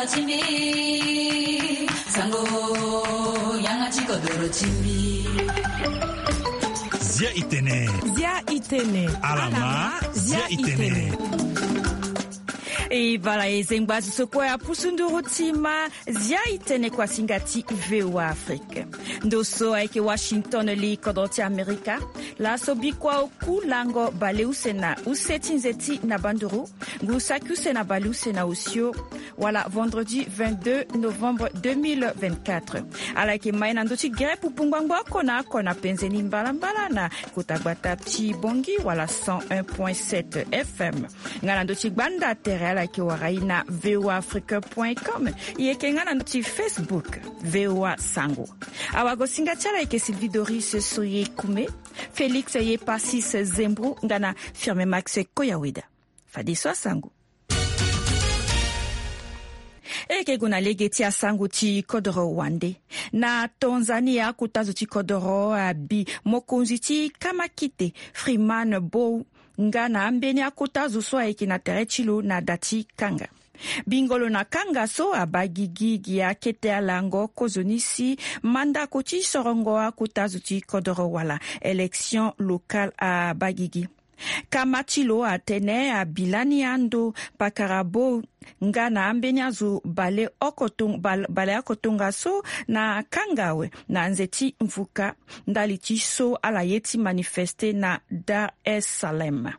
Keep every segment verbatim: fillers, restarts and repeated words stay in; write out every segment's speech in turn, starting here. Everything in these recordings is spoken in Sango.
Timbi, sango, yanga ti kodoro timbi. Zia itene. Zia itene. Alama, zia itene. E bala e zengba azo so kue apusu nduru ti ma zia itene kuasinga ti VOA Afrique. Ndo so ayeke Washington li kodro ti Amerika. Laso bikua oku lango baleuse na use ti nze ti na banduru. Ngu saki use na baleuse na osio. Wala vendredi vingt-deux novembre deux mille vingt-quatre. Ala yeke mai na ndö ti gere pupu ngbangbo oko na oko na penze ni mbalambala na kota gbata ti Bongi wala cent un point sept F M. Nga na ndö ti gbanda tere ala yeke wara e na voa afrique point com. E yeke nga na ndö ti Facebook voa sango. Awagosinga ti ala yeke Sylvie Doris Soye Kume, Félix Yepasis Zembro nga na Firme Max Koyaweda. Fadeso asango. E yeke gue na lege ti asango ti kodoro wande. Na Tanzanie, akota zo ti kodoro abi mokonzi ti kamakite Freeman Mbowe nga na ambeni akota zo so ayeke na tere ti lo na da ti kanga. Bingo lo na kanga so abaa gigi gi akete alango kozoni si mandako ti sorongo akota zo ti kodoro wala élection locale abaa gigi. Kama ti lo atene abi lani ando pakara Mbowe nga na ambeni azo bale oko tong-, bal-, bale oko tongaso na kanga awe na nze ti mvuka ndali ti so ala ye ti manifeste na Dar es Salaam.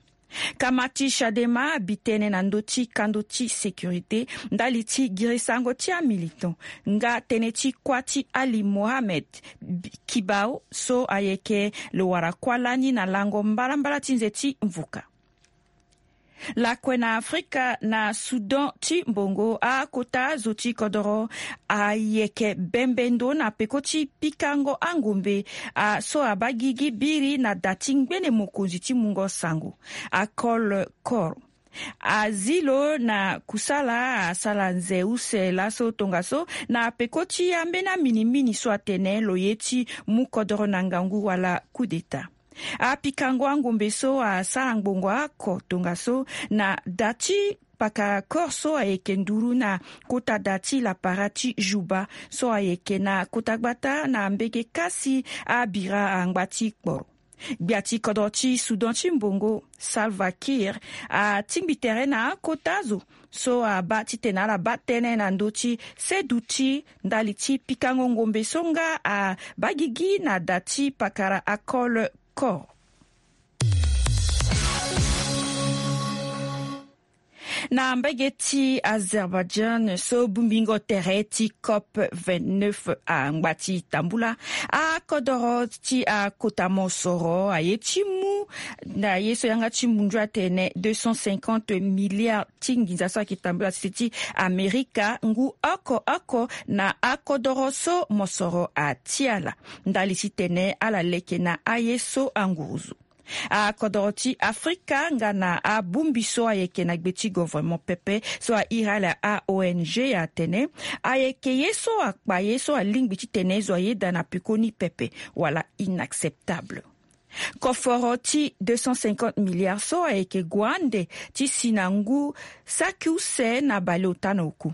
Kama ti Chadema abi tënë na ndö ti kando ti sécurité ndali ti girisango ti amilitant nga tënë ti kuâ ti Ali Mohammed Kibao so ayeke lo wara kuâ lani na lango mbalambala ti nze ti mvuka. Lakue na Afrika, na Soudan ti mbongo, akota zo ti kodoro ayeke bembe ndo na peko ti pikango angombe, a, so abaa gigi biri na da ti ngbene mokonzi ti mungo sango, Akol Kor. Azi lo na kusala asala nze use laso tongaso na peko ti ambeni aminimini so atene lo ye ti mu kodoro na ngangu wala coup d'état. Apikango angombe so asara ngbongo oko tongaso na da ti pakara Kor so ayeke nduru na kota da ti lapara ti Juba so ayeke na kota gbata na mbege kasi abira angba ti kporo. Gbia ti kodro ti Soudan ti mbongo, Salva Kiir, atingbi tere na akota zo so abaa titene ala baa tënë na ndö ti seduti ndali ti pikango ngombe so nga abaa gigi na da ti pakara Akol Kor. Na mbage ti Azerbaïdjan so bongbingo tere ti COP vingt-neuf angba ti tambula, akodoro ti akota mosoro aye ti mu na ye so yanga ti mundu atene deux cent cinquante milliards ti nginza so ayeke tambula sese ti Amerika ngu oko oko na akodoro so mosoro atia ala ndali titene ala leke na aye so anguruzu. Akodoro ti Afrika nga na abongbi so ayeke na gbe ti governement pepe so airi ala a-O N G atene ayeke ye so akpa ye so alingbi titene zo ayeda na pekoni pepe wala inacceptable. Koforo ti deux cent cinquante milliards so ayeke gue ande ti si na ngu saki use na baleota na oku.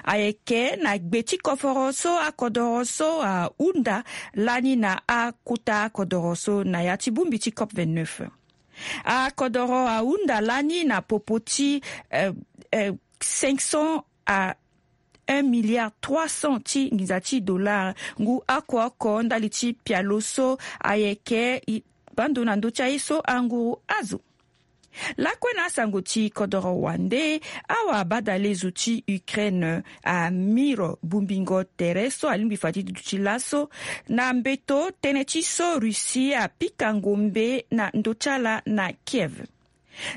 Ayeke na gbe ti koforo so akodoro so ahunda lani na akota akodoro so na ya ti bongbi ti COP vingt-neuf. Akodoro ahunda lani na popo ti, eh, eh, cinq cents à un milliard trois cents ti nginza ti dollar ngu oko oko ndali ti pialo so ayeke i-, bando na ndö ti aye so anguru azo. Lakue na asango ti kodoro wande, awa badalezo ti Ukraine amiro bongbingo tere so alingbi fa ti duti laso na mbeto tënë ti so Russie apika ngombe na ndö ti ala na Kiev.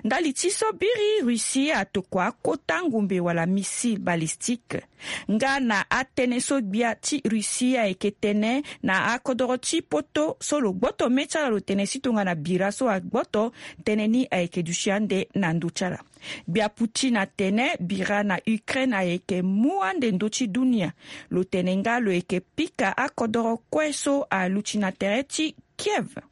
Ndali ti so biri Russie atokua akota ngombe wala missile balistique. Nga na atënë so gbia ti Russie ayeke tene na akodoro ti poto so lo gboto mê ti ala lo tene si tongana bira so agboto, tënë ni ayeke duti ande na ndö ti ala. Gbia Poutine atene bira na Ukraine ayeke mu ande ndö ti dunia. Lo tene nga lo yeke pika akodoro kue so aluti na tere ti Kiev.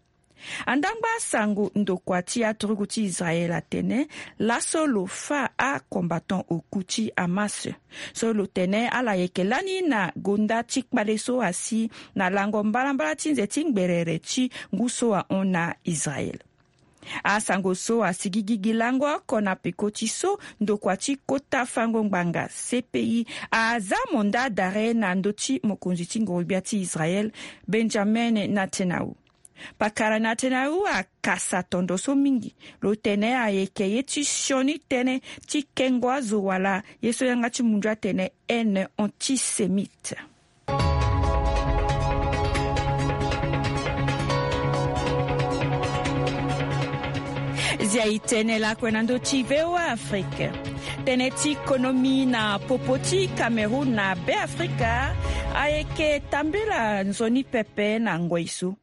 Andangba sango ndokua ti aturugu ti Israël atene laso lo fa acombattant oku ti Hamas so lo tene ala yeke lani na gonda ti kpale so asi na lango mbalambala ti nze ti ngberere ti ngu so ahon na Israël. Asango so asi gigi gi lango oko na peko ti so ndokua ti kota fango ngbanga C P I aza mandat d'arrêt na ndö ti mokonzi ti ngorogbia ti Israël, Benjamin Netanyahu. Pakara Netanyahu akasa tondo so mingi, lo tene ayeke ye ti sioni tënë ti kengo azo wala ye so yanga ti mundu atene haine antisémite. Zia e tene lakue na ndö ti V O A Afrique. Tënë ti konomi na popo ti Cameroun na Be Afrika ayeke tambela nzoni pepe na ngoi so.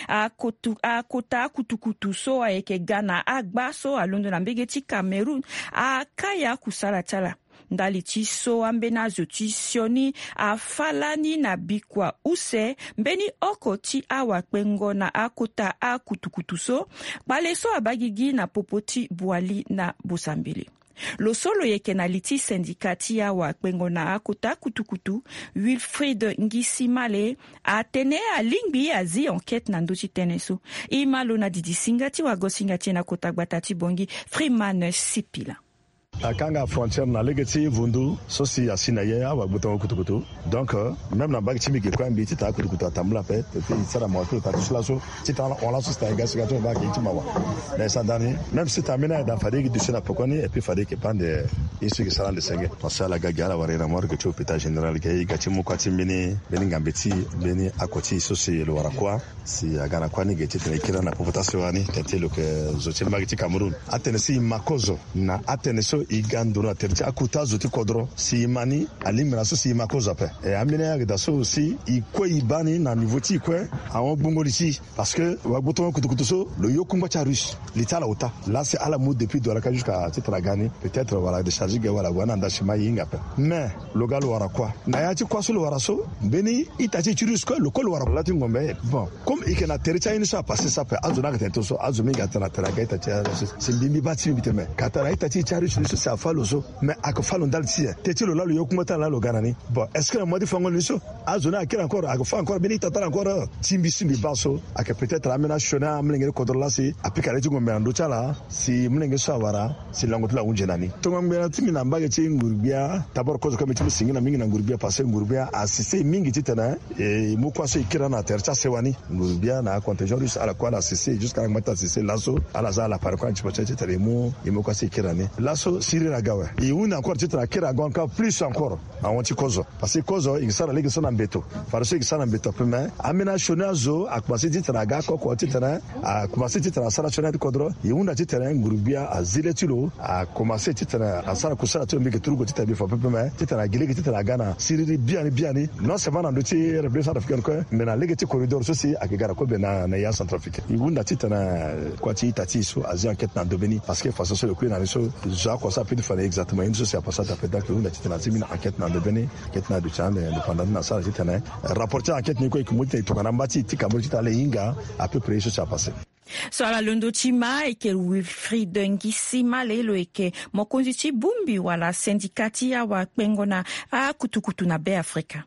Akutu, akota akutukutu so ayeke ga na agba so alondo na mbege ti Cameroun akaya akusala ti ala. Ndali ti so ambeni azo ti sioni afa lani na bikua use mbeni oko ti awakpengo na akota akutukutu so, kpale so abaa gigi na popo ti Bouali na Bosambele. Lo so lo yeke na li ti syndicat ti awakpengo na akota kutukutu, Wilfried Ngisimale, atene alingbi azi enquête na ndö ti tënë so. E ma lo na didi singa ti wagosinga ti e na kota gbata ti Bongi, Freeman Sipila. Akanga frontière na lege ti vundu so si asi na ye awagbotongo kutukutu. Donc, euh, même na mbage ti mbi ge kue mbi titene akutukutu atambula ape, et puis e sara mawa ti lo taa ti so laso titene ala hon laso si tena e ga si ga ti lo baa ayeke ye ti mawa. Mais e sara ndani, même si tena ambeni ayeda fade e gi duti na pekoni et puis fade e yeke baa ande ye so e yeke sara ande senge. Parce que ala ga ge ala wara e na morgue ti hôpital général ge, e ga ti mu kuâ ti mbeni, mbeni ngambe ti e, mbeni oko ti e so si lo wara kuâ. Si aga na kuâ ni ge titene e kiri ala na popo ti asewa ni, tene ti lo yeke zo ti mbage ti Cameroun. Atene si e ma kozo na atene so e ga nduru na tere ti akota zo ti kodro, si e ma ni, alingbi na so si e ma kozo ape. E ambeni ayeke daa so si e kue e baa ni na niveau ti e kue ahon gbungo li ti e. Parce que wagbotongo kutukutu so lo yo kungba ti arusse, li ti ala ota. Laa si ala mu depuis Douala ka jusqu'à titene aga ni, peut-être wala décharge ge wala ague na nda si ma e hinga ape. Mais lo ga lo wara kuâ. Na ya ti kuâ so lo wara so, mbeni ita ti e ti russe kue lo kue lo wara. Laa ti ngombe, bon, comme e yeke na tere ti aye ni so apasse so ape, azo ni ayeke tene ti lo so, azo mingi atene atene aga ita ti aye so. Si mbi mbi baa ti mbi tene me ka tara ita ti e ti arusse ni so si afa lo so. Mais ayeke fa lo ndali ti e. Tene ti lo laa lo yo kungba ti ala laa lo ga na ni. Bon, est-ce que na mois ti fango ni so azo ni akiri encore, ayeke fa encore mbeni ita ti ala encore? Ti mbi si mbi baa so ayeke peut-être ambeni asioni amolenge ti kodro laa si apika le ti ngombe na ndö ti ala, si molenge so awara si lango ti lo ahunzi na ni. Tongo ngbene ti mbi na mbage ti nguru-gbia, d'abord kozo kue mbi ti mu singila mingi na nguru-gbia parce que nguru-gbia asise e mingi titene e mu kuâ so e kiri na tere ti asewa ni. Nguru-gbia na acontingent russe ala kue ala sise jusqu'à ala ngba ti asise laso ala za ala pare kue na ti pase titene e mu, e mu kuâ so e kiri na ni. Laso siriri aga awe. E hunda encore titene akiri aga encore plus encore ahon ti kozo. Parce que kozo e ke sara lege so na mbeto. Fadeso e ke sara na mbeto ape me ambeni asioni azo akomanse titene aga oko oko titene akomanse titene asara asioni ati kodro. E hunda titene nguru-gbia azi le ti lo akomanse titene asara kusala ti lo mbi yeke turugu titene mbi fa pepe me titene agi lege titene aga na siriri biani biani. Non seulement na ndö ti République centrafricaine kue me na lege ti corridor so si ayeke ga na kobe na, na ya centrafricaine. E hunda titene kua ti ita ti e so azi enquête na ndo mbeni. Parce que façon so lo kui na ni so zo oko so ape ti fa na e exactement ye ni so si apasse ata ape. Donc e hunda titene azi mbeni enquête na ndo mbeni. Kete na duti ande indépendant ti na sara titene rapport ti enquête ni kue e yeke mu titene e tongana mba ti e ti Cameroun titene ala hinga à peu près ye so si apasse. So ala londo ti ma ayeke Wilfried Ngisimale, lo yeke mokonzi ti bongbi wala syndicat ti awakpengo na akutukutu na Be Afrika.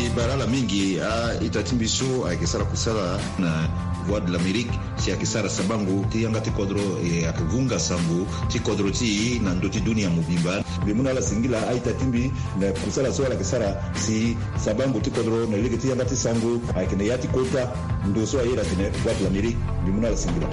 E bale ala mingi a-ita ti mbi so ayeke sara kusala na Voix de l'Amérique si ayeke sara sabango ti yanga ti kodro, e ayeke vunga sango ti kodro ti e na ndö ti dunia mobimba. Mbi mu na ala singila a-ita ti mbi na kusala so ala yeke sara si sabango ti kodro na lege ti yanga ti sango ayeke na ya ti kota ndo so aye atene Voix de l'Amérique. Mbi mu na ala singila.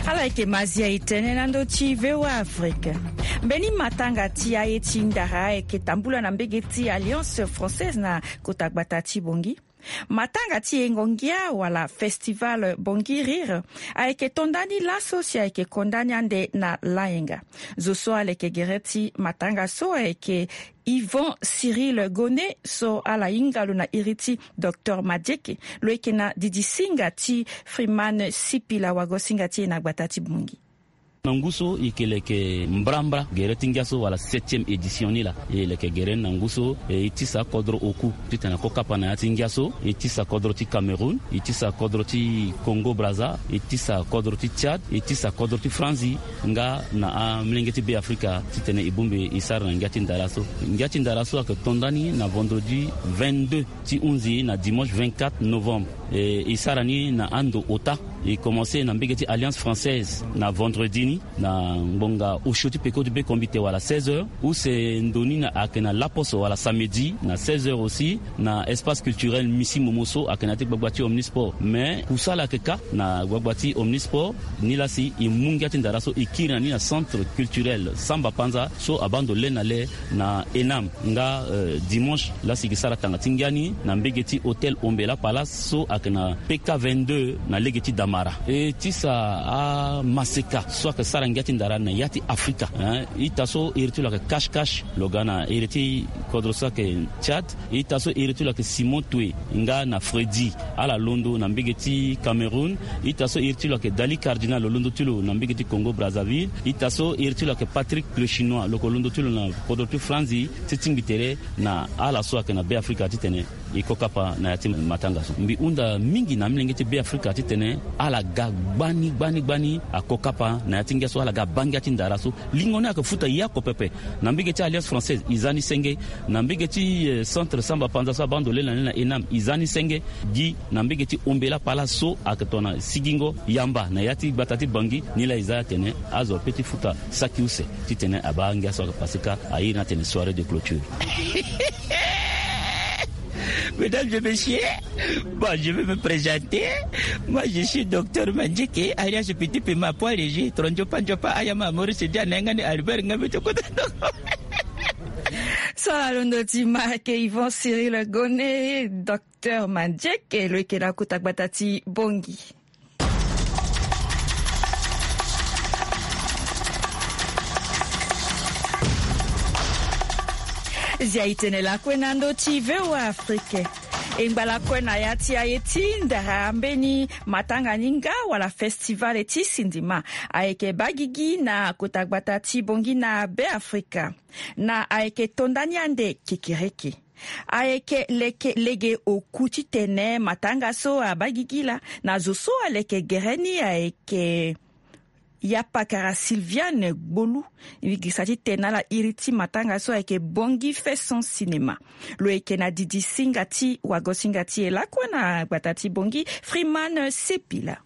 Ala yeke mazia e tene na ndö ti V O A Afrique. Mbeni matanga ti aye ti ndara ayeke tambula na mbege ti Alliance Française na kota gbata ti Bangui. Matanga ti yengo ngia wala Festival Bangui Rire ayeke to ndani laso si ayeke ko ndani ande na layenga. Zo so aleke gere ti matanga so ayeke Yvon Cyril Gonnet so ala hinga lo na iri ti Docteur Madieke. Lo yeke na didi singa ti Freeman Sipila, wago singa ti e na gbata ti Bangui. Na ngu so e yeke leke mbrambra gere ti ngia so wala septième édition ni laa. E leke gere ni na ngu so, e tisa kodro oku titene akokapa na ya ti ngia so. E tisa kodro ti Cameroun, e tisa kodro ti Congo Brazza, e tisa kodro ti Tchad, e tisa kodro ti Franzi, nga na amolenge ti Be Afrika titene e bongbi e sara na ngia ti ndara so. Ngia ti ndara so ayeke to ndani na vendredi vingt-deux ti hunzi na dimanche vingt-quatre novembre. E, e sara ni na ando ota. E commence na mbege ti Alliance Française na vendredi ni na ngbonga osio ti peko ti be kombite wala seize heures. Use ndo ni na ayeke na laposo wala samedi na seize heures aussi, na espace culturel Misi Momo so ayeke na ya ti gbagba ti Omnisport. Mais kusala ayeke kâ na gbagba ti Omnisport. Ni laa si e mu ngia ti ndara so e kiri na ni na centre culturel Samba Panza so abaa ndo le na le na Enam. Nga, euh, dimanche laa si e ke sara tanga ti ngia ni na mbege ti hôtel Ombela Palace so ayeke na P K vingt-deux na lege ti Damara. E tisa amaseka so ayeke sara ngia ti ndara na ya ti Afrika, hein. Ita so iri ti lo ayeke Cache Cache, lo ga na iri ti kodro so ayeke Tchad. Ita so iri ti lo ayeke Simon Touré nga na Freddy, ala londo na mbege ti Cameroun. Ita so iri ti lo ayeke Dali Cardinal, lo londo ti lo na mbege ti Congo Brazzaville. Ita so iri ti lo ayeke Patrick le Chinois, lo yeke londo ti lo na kodro ti Franzi. Ti tingbi tere na ala so ayeke na Be Afrika titene e kokapa na ya ti matanga so. Mbi hunda mingi na amolenge ti Be Afrika titene ala ga gbani gbani gbani akokapa na ya ti ngia so, ala ga baa ngia ti ndara so. Lingo ni ayeke futa ye oko pepe. Na mbege ti Alliance Française e za ni senge. Na mbege ti, eh, centre Samba Panza so abaa ndo le na le na Enam e za ni senge. Gi na mbege ti Ombela Palace so ayeke tongana sigingo yamba na ya ti gbata ti Bangui. Ni laa e za atene azo ape ti futa saki use titene abaa ngia so ayeke pase kâ. A iri ni atene soirée de clôture. Mesdames et messieurs, bon, je vais me présenter. Moi, je suis docteur Mandjeke, alias Petit Pima, poids léger, tro ndiopa ndiopa, ayama, Maurice Dia, Nengani, Albert, Ngambe, Tokota. So ala londo ti ma ayeke Yvon Cyril Gone, docteur Mandjeke, lo yeke na kota gbata ti Bangui. Zia e tene lakue na ndö ti V O A Afrique. E ngba lakue na ya ti aye ti ndara mbeni matanga ni nga wala festival ti sinema ayeke baa gigi na kota gbata ti Bangui na Be Afrika. Na ayeke to ndani ande kekereke. Ayeke leke lege oku titene matanga so abaa gigi laa na zo so aleke gere ni ayeke ya pakara Sylviane Gbolu. E gisa titene ala iri ti matanga so ayeke Bangui Fêtes sans Cinéma. Lo yeke na didi singa ti wago singa ti e lakue na gbata ti Bangui, Freeman Sepila.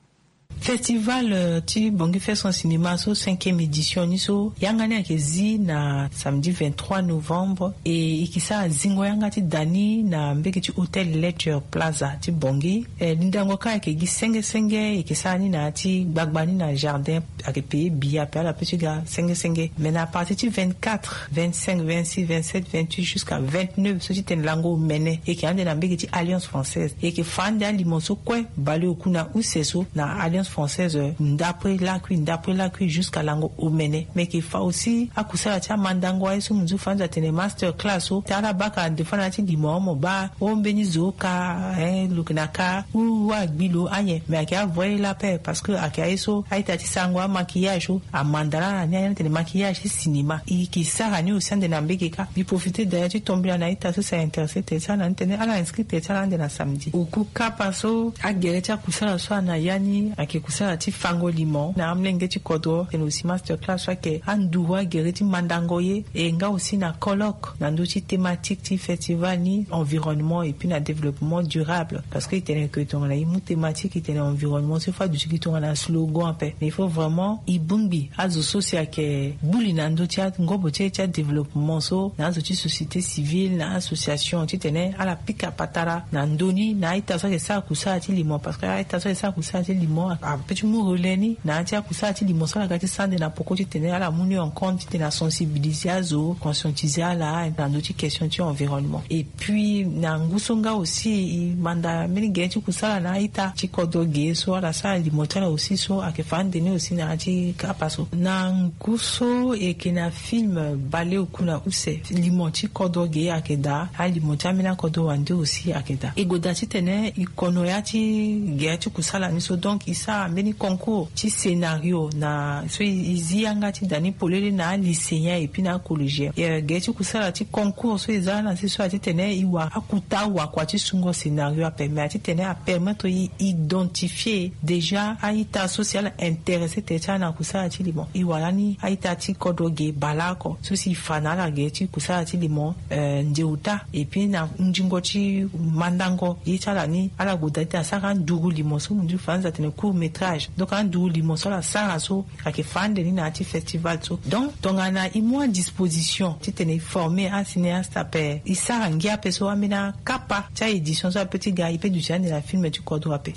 Festival, euh, ti Bangui Fêtes sans Cinéma so, cinquième édition ni so, yanga ni ayeke zi na samedi vingt-trois novembre, e e ke sara zingo yanga ti da ni na mbege ti hôtel Ledger Plaza ti Bangui. Eh, lindango kâ ayeke gi senge senge, e ke sara ni na ya ti gbagba ni na jardin, ayeke payé billet ape, ala pe ti ga senge senge. Mais na à partir ti vingt-quatre, vingt-cinq, vingt-six, vingt-sept, vingt-huit jusqu'à vingt-neuf so ti tene lango omene, e yeke ande na mbege ti Alliance Française. E yeke fa ande alimo so kue baleoku na use so na Alliance Française, ndapre lakui, ndapre lakui jusqu'à lango omene. Me e yeke fa aussi akusala ti amandango aye so mo nzu fa nza tene master class so, ti ala baka nde fa na ya ti limo mo baa o mbeni zo ka, eh, lo yeke na ka u wa gbi lo ayen. Me ayeke avoye la paix parce que ayeke aye so a-ita ti sarango amaquillage so amanda laa na ni aye ni atene maquillage ti cinéma. E yeke sara ni aussi ande na mbege kâ. Mbi profite d'ailleurs ti tombela na a-ita so si a intéressé tere ti ala na ni tene ala inscrit tere ti ala ande na samedi. Oku kapa so agere ti akusala so ana ya ni ayeke kusala ti fango limo na amolenge ti kodro. Tene aussi master class so ayeke anduru agere ti mandango ye, e nga aussi na colloque na ndö ti thématique ti festival ni, environnement et puis na développement durable. Parce que e tene ke tongana e mu thématique e tene environnement so, il faut aduti gi tongana slogan ape. Mais il faut vraiment e bongbi azo so si ayeke gbu li na ndö ti angobo ti e ti adéveloppement so, na azo ti société civile, na association titene ala pika patara na ndö ni na a-ita so ayeke sara kusala ti limo. Parce que a-ita so ayeke sara kusala ti limo ape ti mu relais ni na ya ti akusala ti limo so ala ga ti sara ande na poko titene ala mu ni en compte titene asensibiliser azo, conscientiser ala na ndö ti question ti environnement. Et puis na ngu so nga aussi e manda mbeni gere ti kusala na a-ita ti kodro ge so ala sara limo ti ala aussi so ayeke fa ande ni aussi na ya ti kapa so. Na ngu so e yeke na film Baleoku na use, limo ti kodro ge ayeke daa, alimo ti ambeni akodro wande aussi ayeke daa. E goda titene e kono ya ti gere ti kusala ni so, donc e Ambeni concours ti scénario na so e zi yanga ti da ni polele na alycéen et puis na acollégien. Ge ti kusala ti concours so e za na se so ati tene e wara akuta wakua ti sungo scénario ape, mais ati tene apermettre e identifier déjà a-ita so si ala intéressé tene ti ala na kusala ti limo. E wara ni a-ita ti kodro ge baleoko so si e fa na ala ge ti kusala ti limo, eh, ndeuta et puis na ndingo ti mandango ye ti ala ni ala goda ti asara nduru limo so mundu faranza atene court métrage. Donc anduru limo so ala sara so ayeke fa ande ni na ya ti festival so. Donc tongana e mu adisposition titene e former acinéaste ape, e sara ngia ape so ambeni akapa ti aédition so ape ti ga e pe duti ande na film ti kodro ape.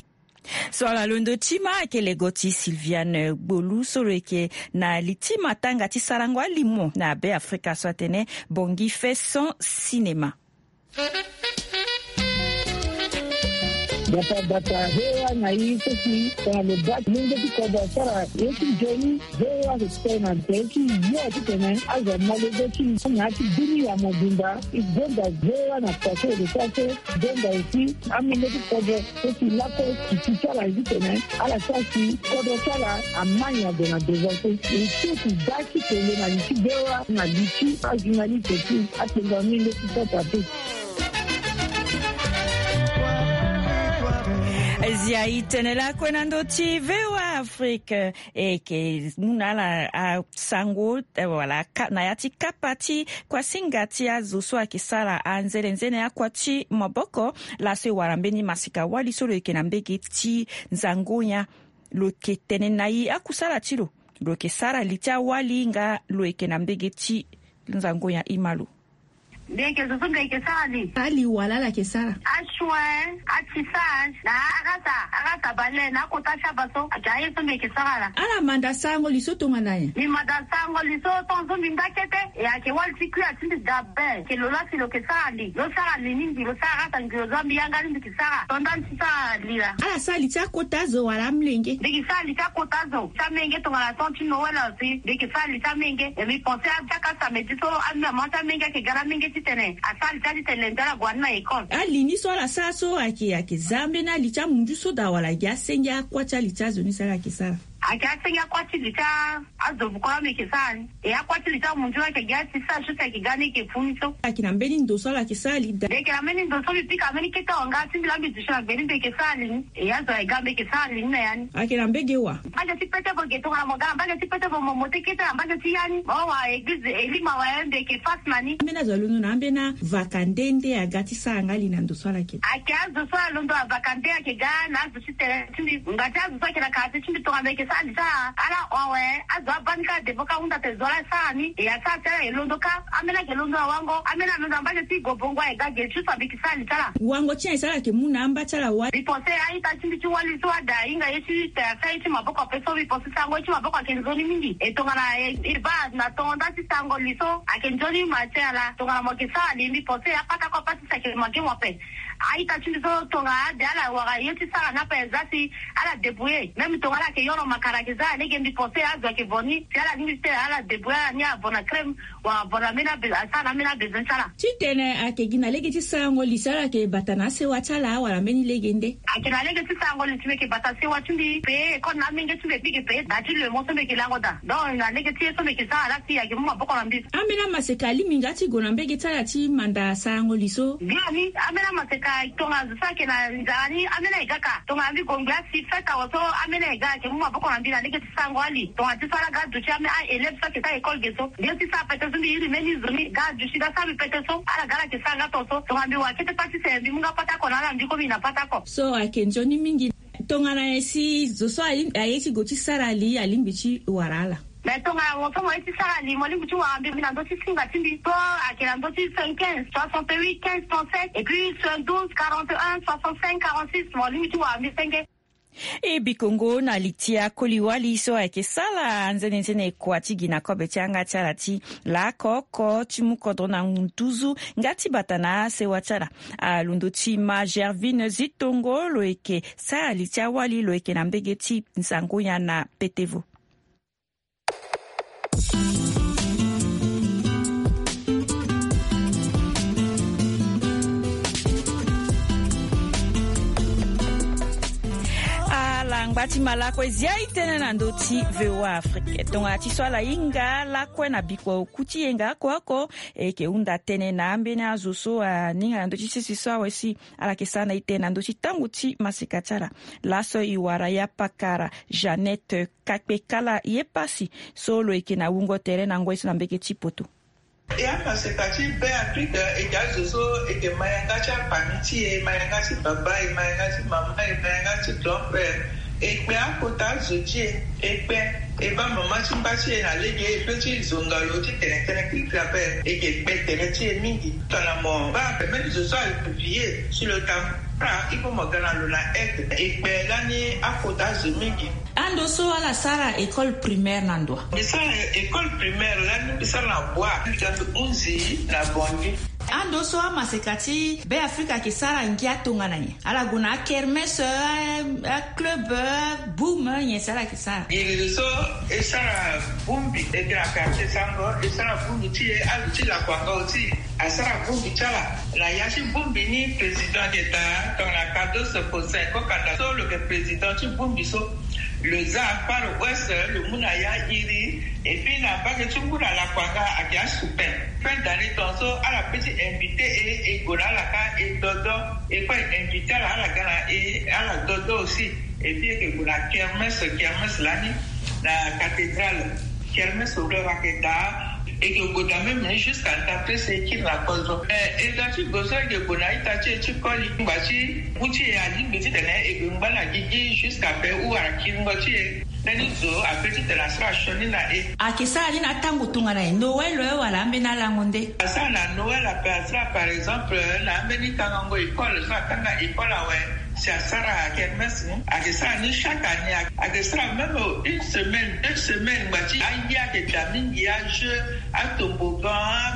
So ala londo ti ma ayeke lego ti Sylviane Gbolu so lo yeke na li ti matanga ti sarango alimo na Be Afrika so atene Bongi fait son cinéma. Bata bata hewa na i seki tongana lo baa ti lenge ti kodro asara ye ti nzoni. Hewa respect na nte ti yo titene azo amolenge ti na ya ti dunia mobimba. E gonda hewa na pase de pase. Gonda aussi amolenge ti kodro so si lakue ti ti ti ala titene ala sara si kodro ti ala amai ado na devant so. E so ti baa ti tene na li ti hewa na li ti ajournaliste ti atengo amolenge ti kota te. Zia e tene lakue na ndö ti V O A Afrique. E yeke mu na ala asango, eh, wala ka, na ya ti kapa ti kuasinga ti azo so ayeke sara anzenenzene akua ti maboko. Laso e wara mbeni maseka wali so lo yeke na mbege ti nzango-nyen. Lo yeke tene na e akusala ti lo. Lo yeke sara li ti awali nga lo yeke na mbege ti nzango-nyen, e ma lo. Mbi yeke zo so mbi yeke sara li. Ali wala ala yeke sara. Asoin, atissage, na arasa, arasa bale, na akota ti aba so. Ayeke aye so mbi yeke sara laa. Ala manda sarango li so tongana nyen? Mbi manda sarango li so tongaso mbi nda kete. E ayeke wali ti kuya ti mbi dabe. Ayeke lo laa si lo yeke sara li. Lo sara li ni mbi, lo sara arasa ngi lo zo mbi yanga ni mbi yeke sara. Tonda mbi ti sara li laa. Ala sara li ti akota zo wala amolenge? Mbi yeke sara li ti akota zo. Ti amenge tongana temps ti Noël si. Mbi yeke sara li ti amenge. E mbi pense a chaque samedi so, amama ti amenge ayeke ga na amenge titene asara li ti ade ti tene lundi ala gue na école. Ali ni so ala sara so ayeke, ayeke za ambeni ali ti amunzu so daa wala gi asenge akua ti ali ti azo ni so ala yeke sara? Ayeke asenge akua ti li ti a, azo vuko laa mbi yeke sara ni. E akua ti li ti amunzu ayeke gi atissage so si ayeke ga ni ayeke fu ni so. Ayeke na mbeni ndo so ala yeke sara li daa? Mbi yeke na mbeni ndo so mbi pika mbeni kete wanga ti mbi laa mbi duti na gbe ni mbi yeke sara li ni. E azo aye ga mbi yeke sara li ni na ya ni. Ayeke na mbege wa? Mbage ti pete bo ge tongana mo ga na mbage ti pete bo mo mote kete na mbage ti ya ni. Mo wa eglize elima wa ya mbi yeke face na ni. Ambeni azo alondo na ambeni avaka nde nde aga ti sara nga li na ndo so ala yeke? Ayeke azo so alondo avaka nde ayeke ga na azo ti tene ti mbi. Nga ti azo so ayeke na quartier ti mbi tongana mbi yeke sara li ti ala awe. Azo abaa ni kâ devo kâ ahunda tene zo laa asara ni. E asara ti ala e londo kâ. Ambeni ayeke londo na wango. Ambeni alondo na mbage ti gobongo aye ga ge ti so mbi yeke sara li ti ala. Wango ti nyen e sara ayeke mu na amba ti ala wali? Mbi pense a-ita ti mbi ti wali so ada ahinga ye ti te asara ye ti maboko ape so mbi pense sango ye ti maboko ayeke nzoni mingi. E tongana e, e baa na tongo nda ti sango li so ayeke nzoni ma ti ala. Tongana mo yeke sara li mbi pense apatako apatisi ayeke mo ake mo ape. A-ita ti mbi so tongana ade ala wara ye ti sara ni ape e za si ala débrouiller. Même tongana ala yeke yoro makara ayeke za lege mbi pense azo ayeke vo ni. Si ala lingbi ti tene ala débrouiller ala ni avo na crème. Wala avo na ambeni abe, asara na ambeni abezoin ti ala. Titene ayeke gi na lege ti sarango li so ala yeke bata na asewa ti ala wala mbeni lege nde? Ayeke na lege ti sarango li ti mbi yeke bata sewa ti mbi payer école na amenge ti mbi et puis yeke payer da ti lemo so mbi yeke lango daa. Donc na lege ti ye so mbi yeke sara laa si ayeke mu maboko na mbi. Ambeni amaseka alingbi nga ti gue na mbege ti ala ti manda sarango li so? Biani, ambeni amaseka tongana zo so ayeke na nzara ni, ambeni aye ga kâ. Tongana mbi gue ngbe asi fête awe so, ambeni aye ga ayeke mu maboko na mbi na lege ti sarango ali. Tongana ti so ala ga aduti ambeni a-élève so ayeke sara école ge so. Mbi ye ti sara pete so mbi iri mbeni zo ni ga aduti ga sara mbi pete so. Ala ga ala yeke sara nga tongaso. Tongana mbi wara kete pâte ti tene mbi mu nga pâte oko na ala mbi komi na pâte oko. So ayeke nzoni mingi. Tongana nyen si zo so aye ti gue ti sara li alingbi ti wara ala? Mais tongana mo so mo ye ti sara li mo lingbi ti wara mbi, mbi na ndö ti singa ti mbi so ayeke na ndö ti soixante-quinze, soixante-huit, quinze, trente-sept, et puis soixante-douze, quarante et un, soixante-cinq, quarante-six, mo lingbi ti wara mbi senge. E bikongo na li ti akoli wali so ayeke sara anzenenzene kua ti gi na kobe ti yanga ti ala ti laoko oko ti mu kodro na nduzu nga ti bata na asewa ti ala. Alondo ti ma Gervine Zitongo lo yeke sara li ti awali lo yeke na mbege ti Nsangoya na Petevo. Alangba Ati malako ezia itene na ndo ti V O A Afrique. Tongana ti so ala hinga lakue na biko kuti yenga ako ako, e yeke hunda tënë na ambeni azo so aninga na ndö ti sese so awe si ala yeke sara na itene na ndö ti tango ti maseka ti ala. Laso e wara ya pakara Jeannette Kakpekala ye pasi so lo yeke na wungo tere na ngoi so na mbeke ti poto. E amaseka ti Be Afrique, e yeke azo so e yeke ma yanga ti apami ti e, ma yanga ti baba, e ma yanga ti mama, e ma yanga ti grand-père. E kpe akota azo ti e, e kpe, e baa mama ti mba ti e na lege, e pe ti zonga lo ti tene tënë kirikiri ape. E yeke kpe tere ti e mingi. Tongana mo baa ape mbeni zo so aye vie sur le temps, il faut mo ga na lo na aide. E kpe lani akota azo mingi. Ando so ala sara école primaire na ndo wa? Mbi sara école primaire lani, mbi sara na Bois, mbi ga mbi hunzi na Bangui. Ando so amaseka ti Be Afrique ayeke sara ngia tongana nyen? Ala gue na akermesse, a, aclub, boum, nyen si ala yeke sara? Iri so e sara bongbi, e yeke na quartier Sango, e sara bongbi ti e, azo ti Lakuanga aussi asara bongbi ti ala. Na ya ti bongbi ni, président ayeke daa tongana Cardozo Faustin Kokanda so lo yeke président ti bongbi so. Lo za Far West, lo mu na ya iri. Et puis na mbage ti ngu na Lakuanga ayeke asupen. Fin d'année tongaso ala pe ti invité e, e gue na ala kâ e dodo. E kue e invité ala, ala ga na e, ala dodo aussi. Et puis e yeke gue na kermesse, kermesse lani na cathédrale. Kermesse lo yeke daa, e yeke gue daa même ni jusqu'à nda presse e kiri na kozo. Eh, e ga ti gue so e yeke gue na ita ti e ti koli ngba ti ngu ti e alingbi titene e gue ngba na gigi jusqu'à pe ou wara kiringo ti e. Mbeni zo ape titene asara sioni na e. Ayeke sara ni na atango tongana nyen? Noël wala ambeni alango nde? Asara na Noël ape, asara par exemple na ambeni kangango école so akanga école awe. Si asara kermesse ni, ayeke sara ni chaque année, ayeke sara même une semaine, deux semaines, ngba ti aye ayeke daa mingi, ajeu, atobogan,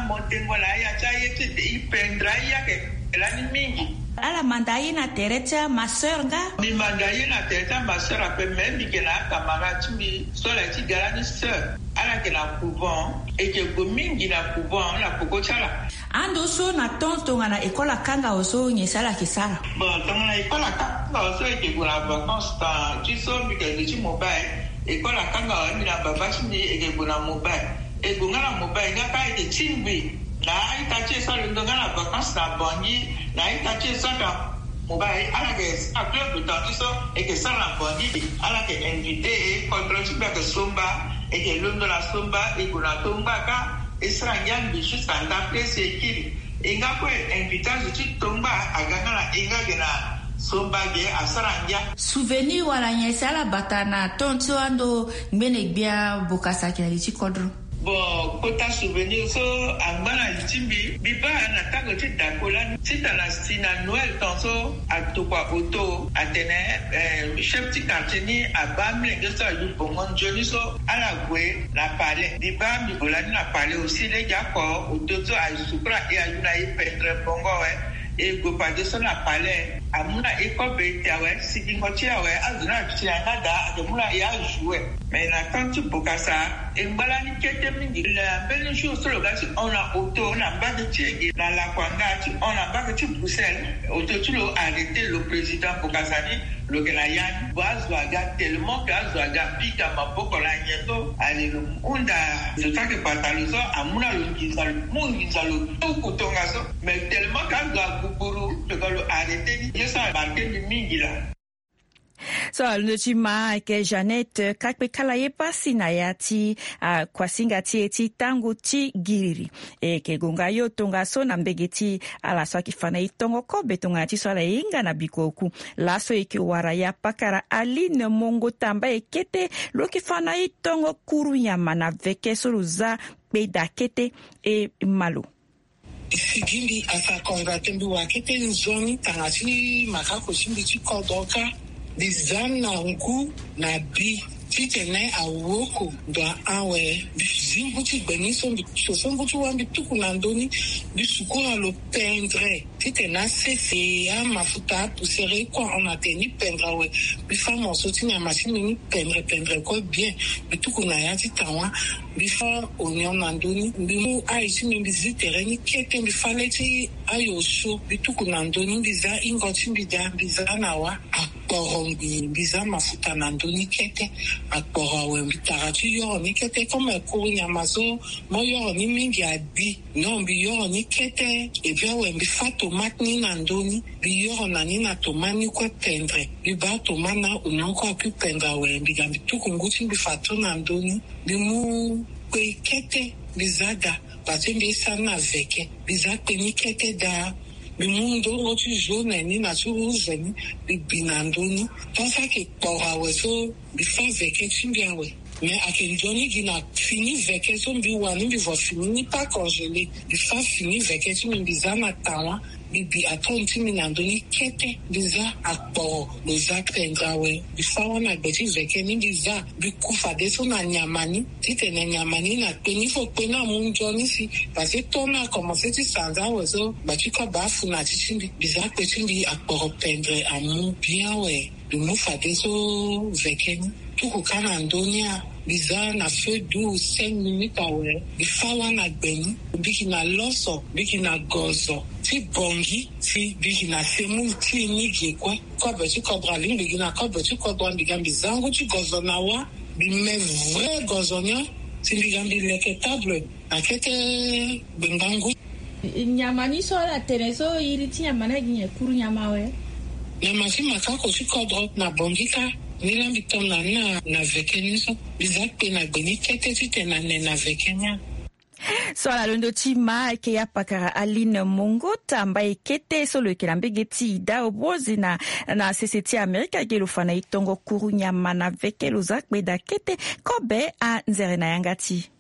amontengo na aya ti aye ti e, e peindre aye ayeke lani mingi. Ala manda aye na tere ti amasseur nga? Mbi manda aye na tere ti amasseur ape, mais mbi yeke na acamarade ti mbi so ala ye ti ga lani sœur. Ala yeke na couvent, e yeke gue mingi na couvent na peko ti ala. Ando so na temps tongana école akanga awe so, nyen si ala yeke sara? Bon, tongana école akanga awe so, e yeke gue na vacances, temps ti so mbi yeke gue ti mobile. École akanga awe, mbi na baba ti mbi e yeke gue na mobile. E gue nga na mobile nga kâ e yeke tingbi na a-ita ti e so alondo nga na vacances na Bangui, na a-ita ti e so ake na mobile, ala yeke sara club, temps ti so e yeke sara na Bangui. Ala yeke invité e, kodro ti mbi ayeke Somba, e yeke londo na Somba, e gue na Tongba kâ. E sara ngia ngbi jusqu'à nda presse e kiri. E nga kue invité azo ti Tongba aga nga na e nga ge na Somba ge asara ngia. Souvenir wala nyen si ala bata na temps so ando ngbene gbia Bokassa ayeke na li ti kodro? Bon, kota souvenir so angba na li ti mbi, mbi baa na tango ti dako lani ti tana si na Noël temps so, atokua auto atene, eh, chef ti quartier ni abaa amolenge so ayu bongo nzoni so ala gue na palais. Mbi baa mbi gue lani na palais aussi, lege oko auto so asukula e ayu na e peindre bongo awe. E gue fadeso na palais, amu na e kobe e te awe, sigingo ti e awe, azo ni aduti na yanga daa, ayeke mu na e ajoue. Mais na temps ti Bokassa, e ngba lani kete mingi. Na mbeni jour so lo ga ti hon na auto na mbage ti e ge na Lakuanga ti hon na mbage ti Bruxelles, auto ti lo arrêté lo, président Bokassa ni lo yeke na ya ni. Bon, azo aga tellement que azo aga pika maboko na nyen so, ale lo hunda zo so ayeke bata lo so, amu na lo nginza, lo mu nginza, lo tuku tongaso. Mais tellement que azo aguguru, lo ga lo arrêté ni. Ye so amarqué mbi mingi laa. So alondo ti ma ayeke Jeannette Kakpekala ye pasi na ya ti, ah, kuasinga ti e ti tango ti giriri. E yeke gue nga yo tongaso na mbege ti ala so ayeke fa na e tongo kobe tongana ti so ala hinga na biko oku. Laso e yeke wara ya pakara Aline Mongo Tamba e kete, lo yeke fa na e tongo kuru nyama na veke so lo za kpeda kete e ma lo. Sigi mbi asa konga te, mbi wa kete nzoni tanga ti makako ti mbi ti kodro kâ. Mbi za na ngu na bi titene awoko ndo a-an awe. Mbi zi ngu ti gbe ni so, mbi so so ngu ti wa, mbi tuku na ndö ni, mbi sukula lo pendre titene asese, amafuta, apoussière, e kue ahon na tene ni pendre awe. Mbi fa morceau ti nyama ti mbi ni pendre pendre kue bien. Mbi tuku na ya ti tawa. Mbi fa oignon na ndö ni, mbi mu ail ti mbi, mbi zi tere ni kete, mbi fa le ti ail osio, mbi tuku na ndö ni, mbi za hingo ti mbi daa, mbi za na wa. Ah, akporo ngbi mbi za mafuta na ndö ni kete. Akporo awe mbi tara ti yoro ni kete, comme akuru nyama so mo yoro ni mingi agbi. Non, mbi yoro ni kete. Et puis awe mbi fa tomate ni na ndö ni, mbi yoro na ni na tomate ni kue pendre. Mbi baa tomate na oignon kue akui pendre awe mbi ga mbi tuku ngu ti mbi fadeso na ndö ni. Mbi mu kpe kete mbi za daa. Parce que mbi ye sara ni na veke, mbi za kpe ni kete daa. Mbi mu ndongo ti jaune ni na ti rouge ni, mbi bi na ndö ni. Tant ça que kporo awe so mbi fa veke ti mbi awe. Mais ayeke nzoni gi na fini veke so mbi wani mbi vo fini ni pas congelé. Mbi fa fini veke ti mbi mbi za na tawa. Mbi bi atone ti mbi na ndö ni kete. Mbi za akporo lo za pendre awe. Mbi fa wani na gbe ti veke ni mbi za. Mbi ku fadeso na nyama ni. Titene nyama ni na kpe ni fo kpe ni amu nzoni si. Parce que temps ni akomanse ti sanza awe so gba ti kobe afu na ti ti mbi. Mbi za kpe ti mbi akporo pendre amu bien awe. Mbi mu fadeso veke ni tuku kâ na ndö ni a. Mbi za na feu doux cinq minutes awe. Mbi fa wâ na gbe ni. Mbi gi na loso, mbi gi na gozo ti bongi, si mbi gi na semoule ti e ni ge kue. Kobe ti kodro alingbi gi na kobe ti kodro, mbi ga mbi za ngu ti gozo na wâ. Mbi me vrai gozo ni a, si mbi ga mbi leke table. Akete gbengbangu. Nyama ni so ala tene so iri ti nyama ni agi nyen? Kuru nyama awe? Nyama ti makako ti kodro na bongi kâ. Ni la mbi ton na ni na veke ni so. Mbi za kpe na gbe ni kete titene ane na veke ni a. So ala londo ti ma ayeke ya pakara Aline Mongota mbai kete so lo yeke na mbege ti ida obozi na na sese ti Amerika ge lo fa na e tongo kuru nyama na veke lo za kpe daa kete. Kobe anzere na yanga ti.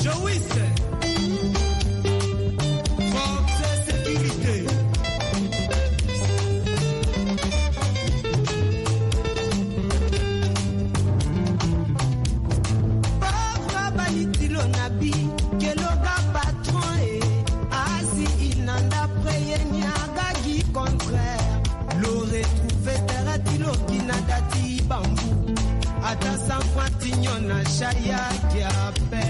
Joïs, force sécurité. Papa balitilo na bi, keloga patron e, asi inanda preye ni aga gi contraire. Lo retrouve tere ti lo gi na da ti bambu. Ata sanfwa ti nyon na shaya kia pe.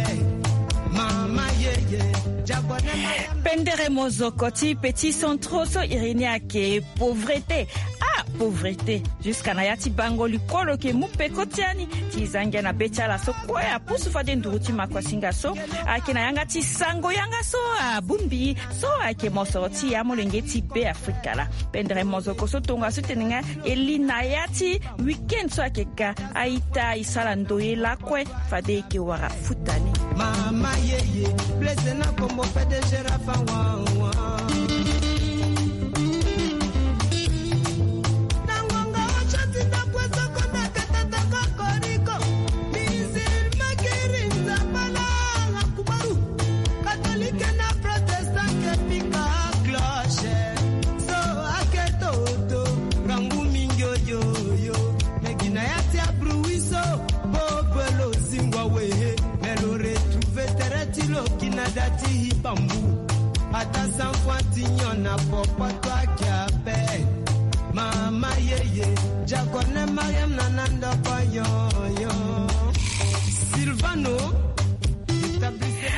Mama yeye, diago na mama. Pendere mozoko ti petit centro so iri ni ayeke pauvreté. Ah, pauvreté. Jusqu'à na ya ti bango likolo ke mu peko ti ani. Ti za ngia na be ti ala so kue apusu fade nduru ti makuasinga so. Ayeke na yanga ti sango yanga so abongbi. So ayeke mosoro ti ya molenge ti Be Afrika la. Pendere mozoko so tongaso ti tene nga e li na ya ti week-end so ayeke ga. A-ita e sara ndoye lakue fade e yeke wara futa ni. Mama yeye, blessé na kombo P D G Rafa wa wa. Na ngonga ocho ti ndako esoko na katata kokoriko. Musulman kiri nzambala la kubaru. Katolike na protestant ke pika cloche. So ake toto, rangu mingi oyoyo. Me gi na ya ti abruit so, bobo lo zingua we. Me lo retrouve tere ti lo gi na da ti bambu. Ata sanfwa ti nyon na popo. Mama yeye, diakone Mariam na na ndoko yo yo. Silvano.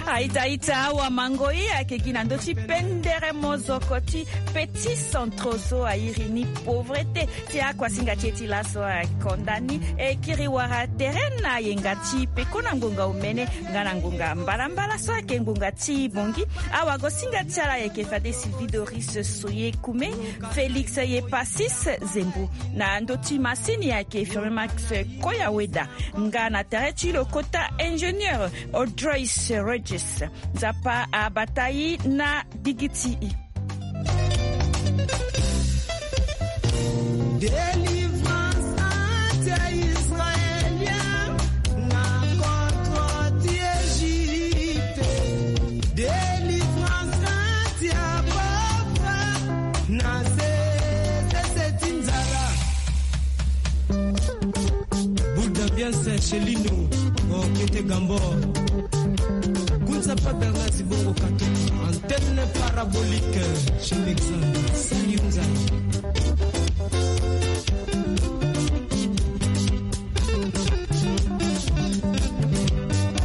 A-ita a-ita awa mango e ayeke gi na ndö ti pendere mozoko ti petit centro so a iri ni pauvreté. Ti akuasinga ti e ti laso akonda ni e kiri wara tere na yenga ti peko na ngonga omene nga na ngonga mbalambala so ayeke ngonga ti bongi. Awagosinga ti ala ayeke fade Sylvie Doris Soye Kume, Félix Yepasis Zembo. Na ndö ti masini ayeke Firmin Max Koyaweda. Nga na tere ti lo kota ingénieur Audrey Regis. Nzapa abata e na gigi ti e. Délivrance anti-israélien na contre ti Égypte. Délivrance anti-pauvre na sese ti nzala. Boule d'ambiance chez Lino. Ok. Te Gambor. Kunza pagal nga zibongo kato. Antenne parabolique chez Mexon. Salut Nzai.